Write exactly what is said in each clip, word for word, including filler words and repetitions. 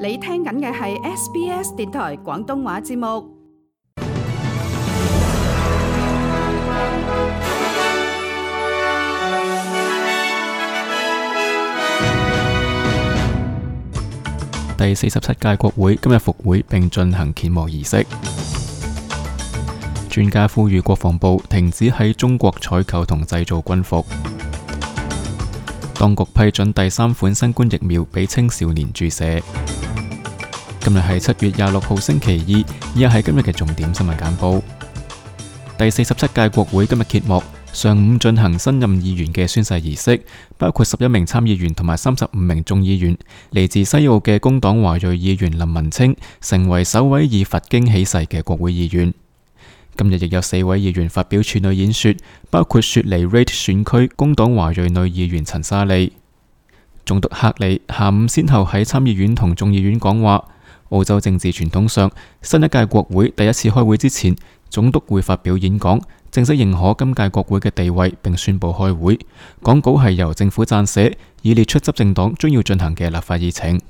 你聽緊嘅係 S B S 電台廣東話節目。第四十七屆國會今日復會並進行揭幕儀式。專家呼籲國防部停止喺中國採購同製造軍服。當局批准第三款新冠疫苗俾青少年注射。今日係七月廿六號星期二，以下係今日嘅重點新聞簡報。第四十七屆國會今日揭幕，上午進行新任議員嘅宣誓儀式，包括十一名參議員同埋三十五名眾議員。嚟自西澳嘅工黨華裔議員林文清成為首位以佛經起誓嘅國會議員。今日亦有四位議員發表處女演說，包括雪梨 Reid 選區工黨華裔女議員陳莎莉。總督克里下午先後喺參議院同眾議院講話。澳洲政治傳統上，新一屆國會第一次開會之前，總督會發表演講，正式認可今屆國會嘅地位，並宣布開會。講稿係由政府撰寫，以列出執政黨將要進行嘅立法議程。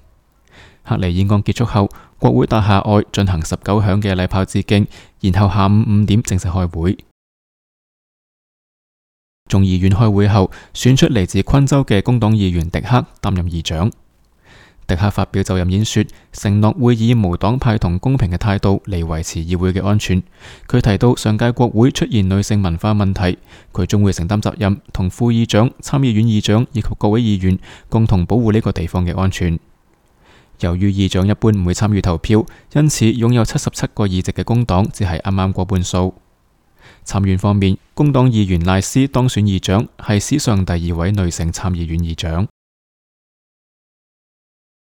克里演講結束後，國會大廈外進行十九響嘅禮炮致敬，然後下午五點正式開會。眾議院開會後，選出嚟自昆州嘅工黨議員迪克擔任議長。迪克發表就任演說，承諾會以無黨派同公平嘅態度嚟維持議會嘅安全。佢提到上屆國會出現女性文化問題，佢將會承擔責任，同副議長、參議院議長以及各位議員共同保護呢個地方嘅安全。由於議長一般唔會參與投票，因此擁有七十七個議席嘅工黨只係啱啱過半數。參院方面，工黨議員賴斯當選議長，係史上第二位女性參議院議長。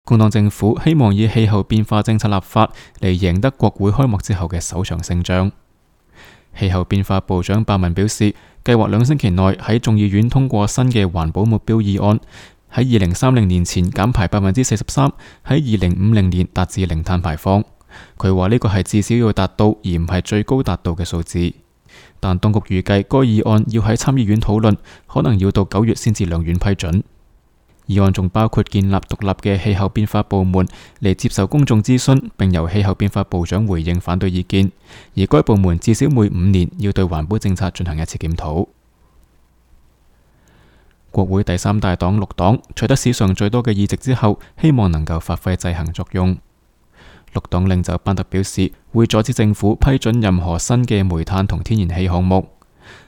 工黨政府希望以氣候變化政策立法嚟贏得國會開幕之後嘅首場勝仗。氣候變化部長鮑文表示，計劃兩星期內喺眾議院通過新嘅環保目標議案，喺二零三零年前減排百分之四十三，喺二零五零年達至零碳排放。佢話呢個係至少要達到，而唔係最高達到嘅數字。但當局預計該議案要喺參議院討論，可能要到九月先至兩院批准。議案仲包括建立獨立嘅氣候變化部門嚟接受公眾諮詢，並由氣候變化部長回應反對意見。而該部門至少每五年要對環保政策進行一次檢討。國會第三大黨綠黨取得史上最多嘅議席之後，希望能夠發揮制衡作用。綠黨領袖班特表示，會阻止政府批准任何新嘅煤炭同天然氣項目。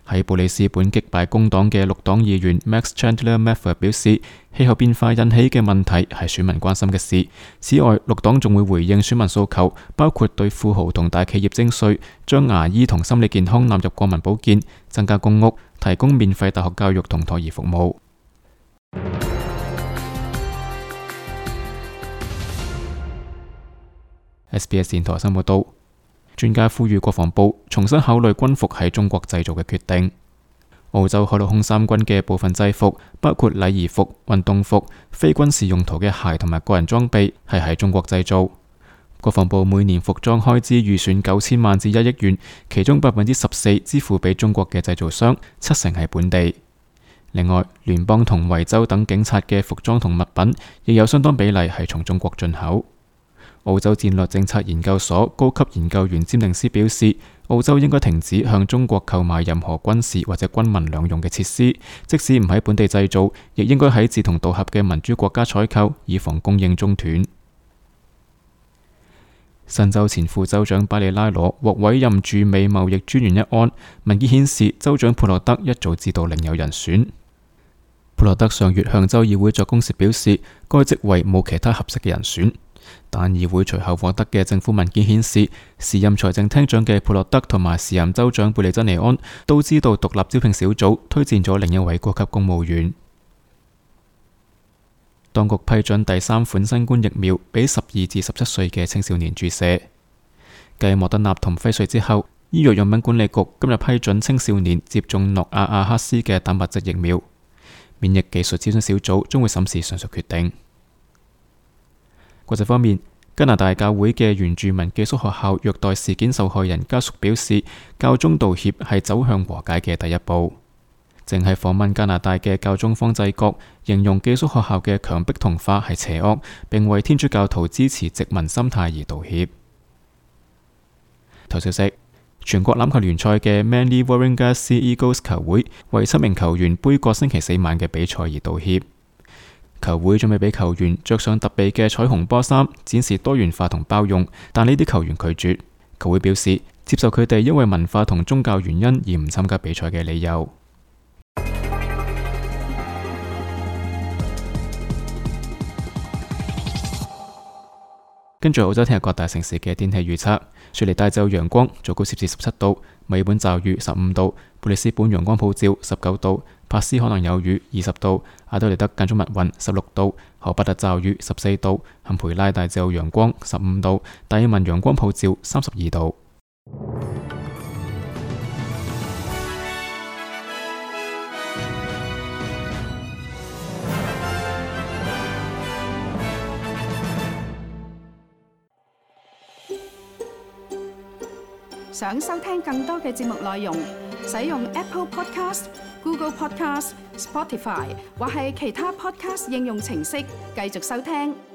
喺布里斯本擊敗工黨嘅綠黨議員 Max Chandler Mather 表示，氣候變化引起嘅問題係選民關心嘅事。此外，綠黨仲會回應選民訴求，包括對富豪同大企業徵稅，將牙醫同心理健康納入國民保健，增加公屋，提供免費大學教育同托兒服務。S B S 電台新聞報道。專家呼籲國防部重新考慮軍服喺中國製造嘅決定。澳洲海陸空三軍嘅部分制服，包括禮儀服、運動服、非軍事用途嘅鞋同埋個人裝備，係喺中國製造。國防部每年服裝開支預算九千萬至一億元，其中百分之十四支付俾中國嘅製造商，七成係本地。另外，聯邦同維州等警察嘅服裝同物品，亦有相當比例係從中國進口。澳洲戰略政策研究所高級研究員詹寧斯表示，澳洲應該停止向中國購買任何軍事或者軍民兩用嘅設施，即使唔喺本地製造，亦應該喺志同道合嘅民主國家採購，以防供應中斷。新州前副州長巴里拉羅獲委任駐美貿易專員一案，文件顯示州長普洛德一早知道另有人選。普洛德上月向州議會作供時表示，該職位冇其他合適嘅人選。但議會隨後獲得嘅政府文件顯示，時任財政廳長嘅普洛德同埋時任州長貝利珍尼安都知道獨立招聘小組推薦咗另一位高級公務員。當局批准第三款新冠疫苗俾十二至十七歲嘅青少年注射。繼莫德納同輝瑞之後，醫藥用品管理局今日批准青少年接種諾亞亞克斯嘅蛋白質疫苗。免疫技術諮詢小組將會審視上述決定。國際方面，加拿大教會嘅原住民寄宿學校虐待事件受害人家屬表示，教宗道歉係走向和解嘅第一步。淨係訪問加拿大嘅教宗方濟各，形容寄宿學校嘅強迫同化係邪惡，並為天主教徒支持殖民心態而道歉。頭消息：全國欖球聯賽嘅 Manly Warringah Sea Eagles 球會為七名球員杯葛星期四晚嘅比賽而道歉。球會準備俾球員着上特備嘅彩虹波衫，展示多元化同包容，但呢啲球員拒絕。球會表示接受佢哋因為文化同宗教原因而唔參加比賽嘅理由。跟住澳洲聽日各大城市嘅天氣預測：雪梨大晝陽光，最高攝氏十七度；墨爾本驟雨十五度；布里斯本陽光普照十九度；珀斯可能有雨二十度；阿德利德間中密雲十六度；荷伯特驟雨十四度；坎培拉大晝陽光十五度；達爾文陽光普照三十二度。想收聽更多嘅節目內容，使用 Apple Podcast、Google Podcast、Spotify 或係其他 Podcast 應用程式繼續收聽。